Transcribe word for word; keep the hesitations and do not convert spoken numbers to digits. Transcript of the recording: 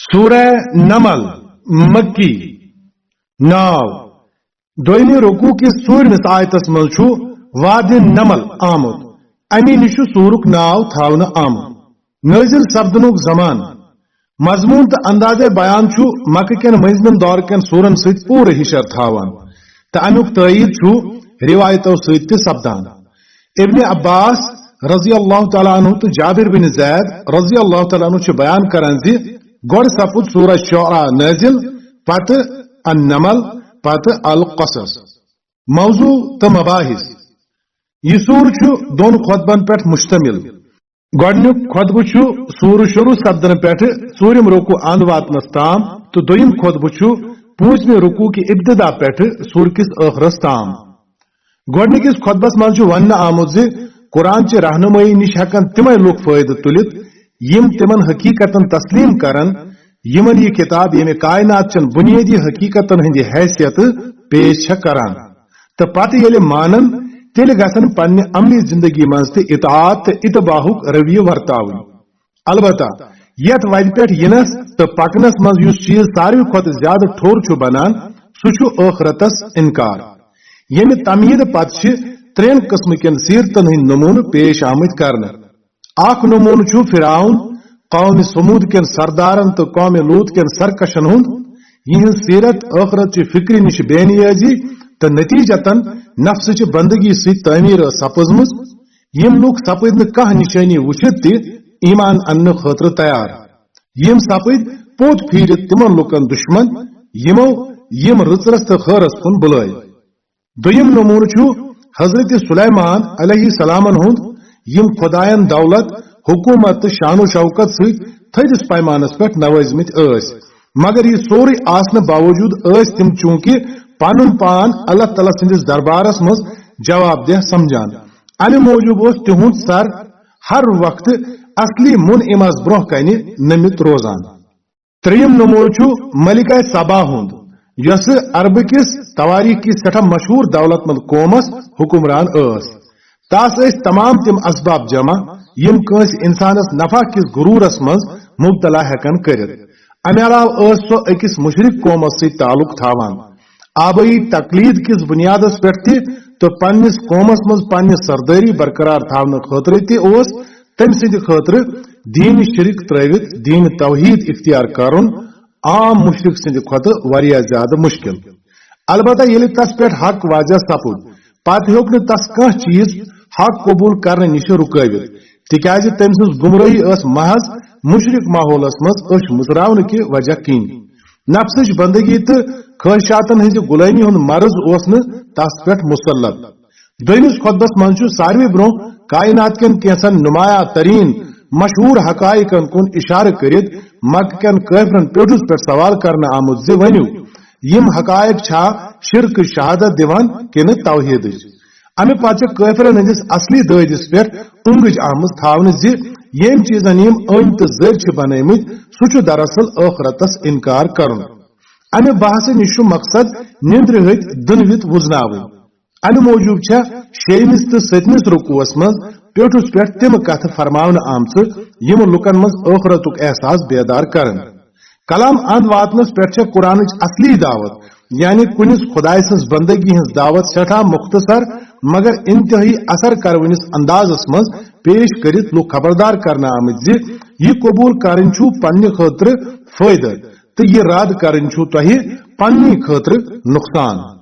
سورہ نمل، مکی۔ ناو، دویمہِ رکوع کِس ژوٗرمِس آیتس منٛز چھُ وادِ نمل آمُت۔ اَمی نِش چھُ سورُک ناو تھاونہٕ آمُت۔ نٲزِل سپدنُک زمان، مضموٗن تہٕ اندازے بیان چھُ مکہٕ کٮ۪ن مٔنٛزمٮ۪ن دور کٮ۪ن سورن سۭتۍ پوٗرٕ ہِشر تھاوان تہٕ اَمیُک تٲیید چھُ رِوایتو سۭتۍ تہِ سپدان۔ ابن عباس رضی اللہ تعالیٰ عنہ تہٕ جابر بن زید رضی اللہ تعالیٰ عنہ چھِ بیان کران زِ گۄڈٕ سپُد سورہ شعراء نٲزِل، پتہٕ النمل، پتہٕ القصص۔ موضوع تہٕ مباحث۔ یہِ سورٕ چھُ دۄن خطبن پٮ۪ٹھ مشتمل۔ گۄڈٕنیُک خطبہٕ چھُ سورٕ شروع سپدنہٕ پٮ۪ٹھٕ ژوٗرِم رکوع اند واتنس تام تہٕ دوٚیِم خطبہٕ چھُ پوٗنٛژمہِ رکوع کہِ ابتدا پٮ۪ٹھٕ سورٕ کِس ٲخرس تام۔ گۄڈٕنِکِس خطبس منٛز چھُ وننہٕ آمُت زِ قرآن چہِ رہنمٲیی نِش ہٮ۪کن تِمے لوٗکھ فٲیدٕ تُلِتھ، یِم تِمن حقیقتن تسلیم کرن، یِمن یہِ کتاب ییٚمہِ کائنات چٮ۪ن بنیٲدی حقیقتن ہٕنٛدِ حیثیتہٕ پیش چھےٚ کران۔ تہٕ پتہٕ ییٚلہِ مانن، تیٚلہِ گژھن پننہِ عملی زندگی منٛز تہِ اطاعت تہٕ اتباعُک رویہ ورتاوٕنۍ۔ البتہ یتھ وتہِ پٮ۪ٹھ یِنس تہٕ پکنس منٛز یُس چیز ساروی کھۄتہٕ زیادٕ ٹھوٚر چھُ بنان، سُہ چھُ ٲخرتس انکار، ییٚمہِ تمہیٖد پتہٕ چھِ ترٛٮ۪ن قٕسمہٕ کٮ۪ن سیرتن ہٕنٛدۍ نمونہٕ پیش آمٕتۍ کرنہٕ۔ اکھ نمونہٕ چھُ فرعون، قوم ثمود کٮ۪ن سردارن تہٕ قوم لوط کٮ۪ن سرکشن ہُنٛد، یِہنٛز سیرت ٲخرت چہِ فکرِ نِش بے نیازی تہٕ نتیجتاً نفسٕچہِ بندگی سۭتۍ تعمیٖر ٲس سپٕزمٕژ۔ یِم لوٗکھ سپٕدۍ نہٕ کانٛہہ نشٲنی وٕچھِتھ تہِ ایمان اننہٕ خٲطرٕ تیار۔ یِم سپٕدۍ پوٚت پھیٖرِتھ تِمن لوٗکن دُشمن، یِمو یِم رٕژرس تہٕ خٲرس کُن بُلٲوۍ۔ دوٚیِم نمونہٕ چھُ حضرت سلیمان علیہ السلامن ہُنٛد، یِم خۄدایَن دولت، حکومت تہٕ شان و شوکت سۭتۍ تھٔدِس پیمانس پٮ۪ٹھ نوٲزمٕتۍ ٲسۍ، مگر یہِ سورُے آسنہٕ باوجوٗد ٲسۍ تِم چوٗنٛکہِ پنُن پان اللہ تعالیٰ سٕنٛدِس دربارس منٛز جواب دہ سمجھان۔ امہِ موٗجوٗب اوس تِہُنٛد سر ہر وقتہٕ اصلی منعمس برٛونٛہہ کنہِ نٔمِتھ روزان۔ ترٛیٚیِم نمونہٕ چھُ ملکہ سبا ہُنٛد، یۄسہٕ عربہٕ کِس توٲریٖخ کِس سٮ۪ٹھاہ مشہوٗر دولت مند قومس حکمران ٲس۔ تس ٲسۍ تمام تِم اسباب جمع، یِم کٲنٛسہِ انسانس نفع کِس غرورس منٛز مبتلا ہٮ۪کن کٔرِتھ۔ امہِ علاوٕ ٲس سۄ أکِس مشرک قومس سۭتۍ تعلق تھاوان۔ آبٲیی تقلید کِس بنیادس پٮ۪ٹھ تہِ تہٕ پننِس قومس منٛز پننہِ سردٲری برقرار تھاونہٕ خٲطرٕ تہِ اوس تٔمۍ سٕنٛدِ خٲطرٕ دین شرک ترٲوِتھ دین توحید اختیار کرُن عام مشرک سٕنٛدِ کھۄتہٕ واریاہ زیادٕ مشکل۔ البتہ ییٚلہِ تس پٮ۪ٹھ حق واضح سپُد، پتہٕ ہیوٚک نہٕ تس کانٛہہ چیز حق قبول کرنہٕ نِش رُکٲوِتھ، تِکیازِ تٔمۍ سٕنٛز گمرٲہی ٲس محض مشرک ماحولس منٛز أچھ مُژراونہٕ کہِ وجہ کِنۍ۔ نفسٕچ بندگی تہٕ خواہشاتن ہٕنٛزِ غلٲمی ہُنٛد مرض اوس نہٕ تس پٮ۪ٹھ مسلط۔ دوٚیمِس خطبس منٛز چھُ ساروی برٛونٛہہ کائنات کٮ۪ن کینٛژن نمایاں ترین مشہوٗر حقائقن کُن اشارٕ کٔرِتھ مکہٕ کٮ۪ن کٲفرن پیوٚٹھُس پٮ۪ٹھ سوال کرنہٕ آمُت زِ ؤنِو، یِم حقائق چھا شرک شہادت دِوان کِنہٕ توحیدٕچ؟ امہِ پتہٕ چھِ کٲفرن ہٕنٛدِس اصلی دٲدِس پٮ۪ٹھ اونگٕج آمٕژ تھاونہٕ زِ ییٚمۍ چیٖزن یِم أنۍ تہٕ زٔرۍ چھِ بنٲومٕتۍ، سُہ چھُ دراصل ٲخرتس انکار کرُن۔ امہِ بحثہٕ نِش چھُ مقصد نیندرِ ہٕتۍ دٕنوِتھ وُزناوٕنۍ۔ امہِ موٗجوٗب چھےٚ شیٚیمِس تہٕ سٔتمِس رکوعس منٛز پیوٚٹھُس پٮ۪ٹھ تِم کتھٕ فرماونہٕ آمژٕ، یِم لوٗکن منٛز ٲخرتُک احساس بیدار کرن۔ کلام اند واتنس پٮ۪ٹھ چھےٚ قرآنٕچ اصلی دعوت، یعنی کُنِس خدایہِ سٕنٛز بندگی ہٕنٛز دعوت، سٮ۪ٹھاہ مختصر مگر انتہٲئی اثر کرونِس اندازس منٛز پیش کٔرِتھ لوٗکھ خبردار کرنہٕ آمٕتۍ زِ یہِ قبول کرٕنۍ چھُ پننہِ خٲطرٕ فٲیدٕ تہٕ یہِ رد کرٕنۍ چھُ تۄہہِ پننہِ خٲطرٕ نقصان۔